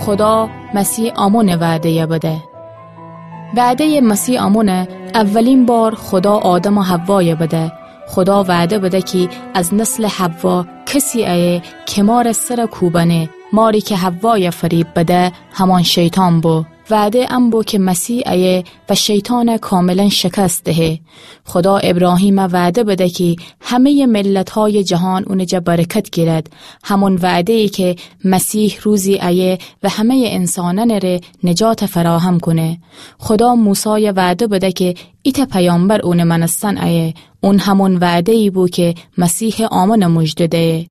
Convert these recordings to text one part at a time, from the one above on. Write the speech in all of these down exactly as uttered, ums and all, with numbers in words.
خودا مسیح آمونٚ وعده‌یَ بده. وعده‌یٚ مسیح آمونه. اولین بار خودا آدم و حوایَ بده. خودا وعده بده کی از نسلٚ حوا کسی ایه کی مارٚ سرَ کوبنه. ماری کی حوایَ فریب بده، همان شیطان بو. وعده ان بو کی مسیح ایه و شیطانَ کاملاً شکست دهه. خودا ابراهیمَ وعده بده کی همه‌یٚ ملت‌هایٚ جهان اونٚ جا برکت گیرد. همون وعده‌یی کی مسیح روزی ایه و همه‌یٚ انسانأنٚ ره نجاتَ فراهم کونه. خودا موسایَ وعده بده کی ایتأ پیامبر اونٚ مأنستن ایه. اون همون وعده‌یی بو کی مسیحٚ آمونَ موژده دیه.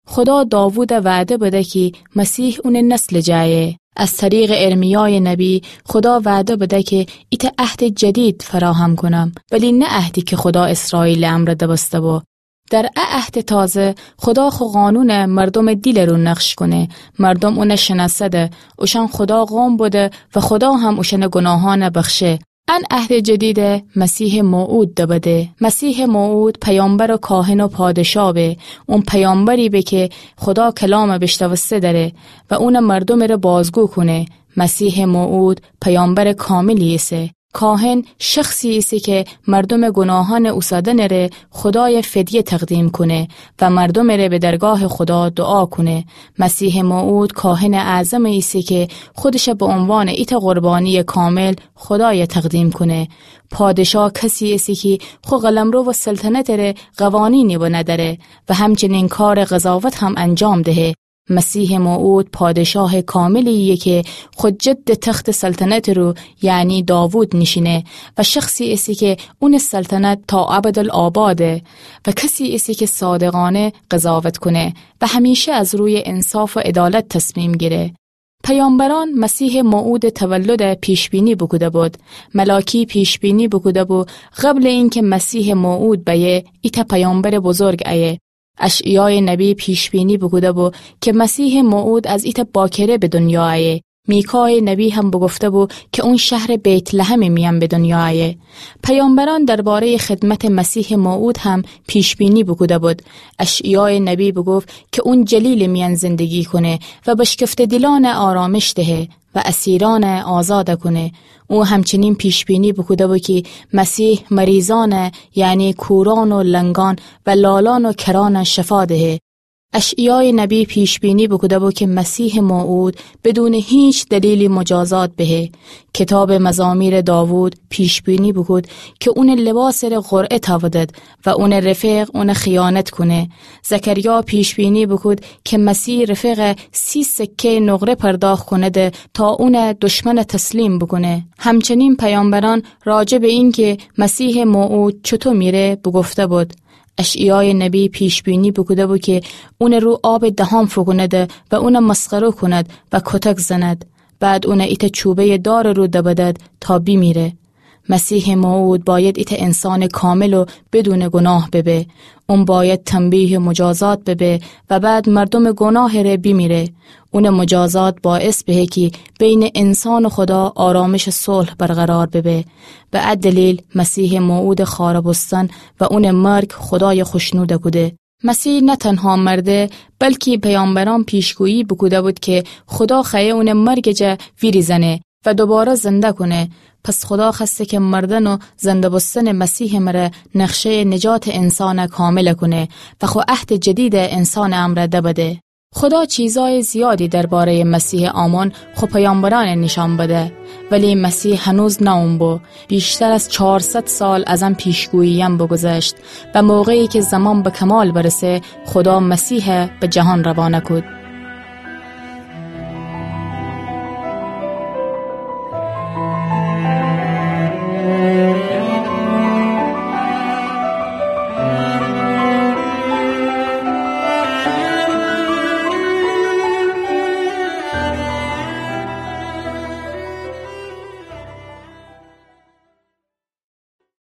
خودا داوودَ وعده بده کی مسیح اونٚ نسلٚ جا ایه. از طریقٚ ارمیایٚ نبی خودا وعده بده کی ایتأ عهدٚ جدید فراهم کونم، ولی نه عهدی کی خودا اسرائیلٚ امرأ دبسته بو. در ا عهدٚ تازه خودا خو قانونَ مردومٚ دیلٚ رو نقش کونه. مردوم اونَ شنأسده، اوشأن خودا قوم بوده و خودا هم اوشأنٚ گوناهأنَ بخشه. ان عهدٚ جدیدَ مسیحٚ موعود دبده. مسیحٚ موعود پیامبر و کاهن و پادشا به. اون پیامبری به کی خودا کلامَ بیشنوسته دره و اونَ مردومٚ ره بازگو کونه. مسیحٚ موعود پیامبرٚ کاملی ایسه. کاهن شخصی ایسه کی مردومٚ گوناهأنٚ اوسادنٚ ره خودایَ فدیه تقدیم کونه و مردومٚ ره به درگاهٚ خودا دوعا کونه. مسیحٚ موعود کاهنٚ اعظمی ایسه کی خودشَ به عنوانٚ ایتأ قربانیٚ کامل خودایَ تقدیم کونه. پادشا کسی ایسه کی خو قلمرو و سلطنتٚ ره قوانینی بنه دره و همچنین کارٚ قضاوت هم انجام دهه. مسیحٚ موعود پادشاهٚ کاملی ایه کی خو جدٚ تختٚ سلطنتٚ رو، یعنی داوود، نیشینه و شخصی ایسه کی اونٚ سلطنت تا ابدالآباده و کسی ایسه کی صادقانه قضاوت کونه و همیشه از رویٚ انصاف و عدالت تصمیم گیره. پیامبرأن مسیحٚ موعودٚ تولدَ پیش‌بینی بوکوده بود. ملاکی پیش‌بینی بوکوده بو قبلٚ اینکی مسیحٚ موعود بأیه، ایتأ پیامبرٚ بزرگ ایه. اشعیایٚ نبی پیش‌بینی بوکوده بو کی مسیحٚ موعود از ایتأ باکره به دونیا ایه. میکایٚ نبی هم بوگفته بو کی اون شهرٚ بیت‌لحمٚ میأن به دونیا ایه. پیامبرأن درباره‌یٚ خدمتٚ مسیحٚ موعود هم پیش‌بینی بوکوده بود. اشعیایٚ نبی بوگفت کی اون جلیلٚ میأن زندگی کونه و بشکفته دیلأنَ آرامش دهه و اسیرأنَ آزاد کونه. او همچنین پیش‌بینی بوکوده بو کی مسیح مریضأنَ، یعنی کورأن و لنگأن و لالأن و کرأنَ شفا دهه. اشعیایٚ نبی پیش‌بینی بوکوده بو کی مسیحٚ موعود بدونٚ هیچ دلیلی مجازات بهه. کیتابٚ مزامیرٚ داوود پیش‌بینی بوکود کی اونٚ لباسٚ ره قرعه تأودد و اونٚ رفیق اونَ خیانت کونه. زکریا پیش‌بینی بوکود کی مسیح رفیقَ سی سکه‌یٚ نقره پرداخت کونده تا اونَ دشمنَ تسلیم بوکونه. همچنین پیامبرأن راجع به اینکی مسیحٚ موعود چوطو میره بوگفته بود. اشعیایٚ نبی پیش‌بینی بوکوده بو کی اونٚ رو آبٚ دهان فوکونده و اونَ مسخره کوند و کتک زند. بعد اونَ ایتأ چوبه‌یٚ دارٚ رو دبدد تا بیمیره. مسیحٚ موعود بأید ایتأ انسانٚ کامل و بدونٚ گوناه ببه. اون بأید تنبیه و مجازات ببه و بعد مردومٚ گوناهٚ ره بیمیره. اونٚ مجازات باعث بهه کی بینٚ انسان و خودا آرامشٚ صلح برقرار ببه. به ا دلیل مسیحٚ موعودٚ خوأره بوستن و اونٚ مرگ خودایَ خوشنود کوده. مسیح نه تنها مرده، بلکی پیامبرأن پیشگویی بوکوده بود کی خودا خوأیه اونٚ مرگٚ جا ویریزأنه و دوباره زنده کونه. پس خودا خوأسته کی مردن و زنده بوستنٚ مسیحٚ مره نقشه‌یٚ نجاتٚ انسانَ کامل کونه و خو عهدٚ جدیدَ انسانٚ امرأ دبده. خودا چیزأیٚ زیادی درباره‌یٚ مسیحٚ آمون خو پیامبرأنَ نیشأن بده، ولی مسیح هنوز نه اون بو. بیشتر از چهارصد سال از ان پیشگوییأن بوگوذشت و موقعی کی زمان به کمال برسه، خودا مسیحَ به جهان روانه کود.